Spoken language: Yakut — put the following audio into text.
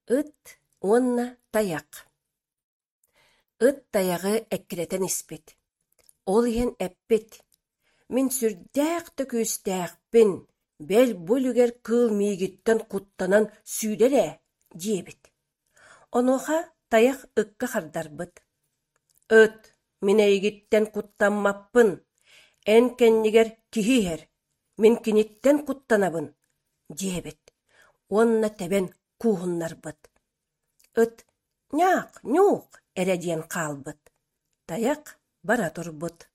Ыт уонна тайах Ыт тайаҕы эккирэтэн испит. Ол иһэн эппит: «Мин сүрдээх да күүстээхпин, бэл бу үлүгэр кыыл миигиттэн куттанан сүүрэр ээ» диэбит. Онуоха тайах ыкка хардарбыт: «Ыт, мин эйигиттэн куттаммаппын, эн кэннигэр киһи иһэр, мин киниттэн куттанабын» диэбит уонна тэбэн кууһуннарбыт. Ыт «ньаах, ньуух» эрэ диэн хаалбыт. Тайах бара турбут.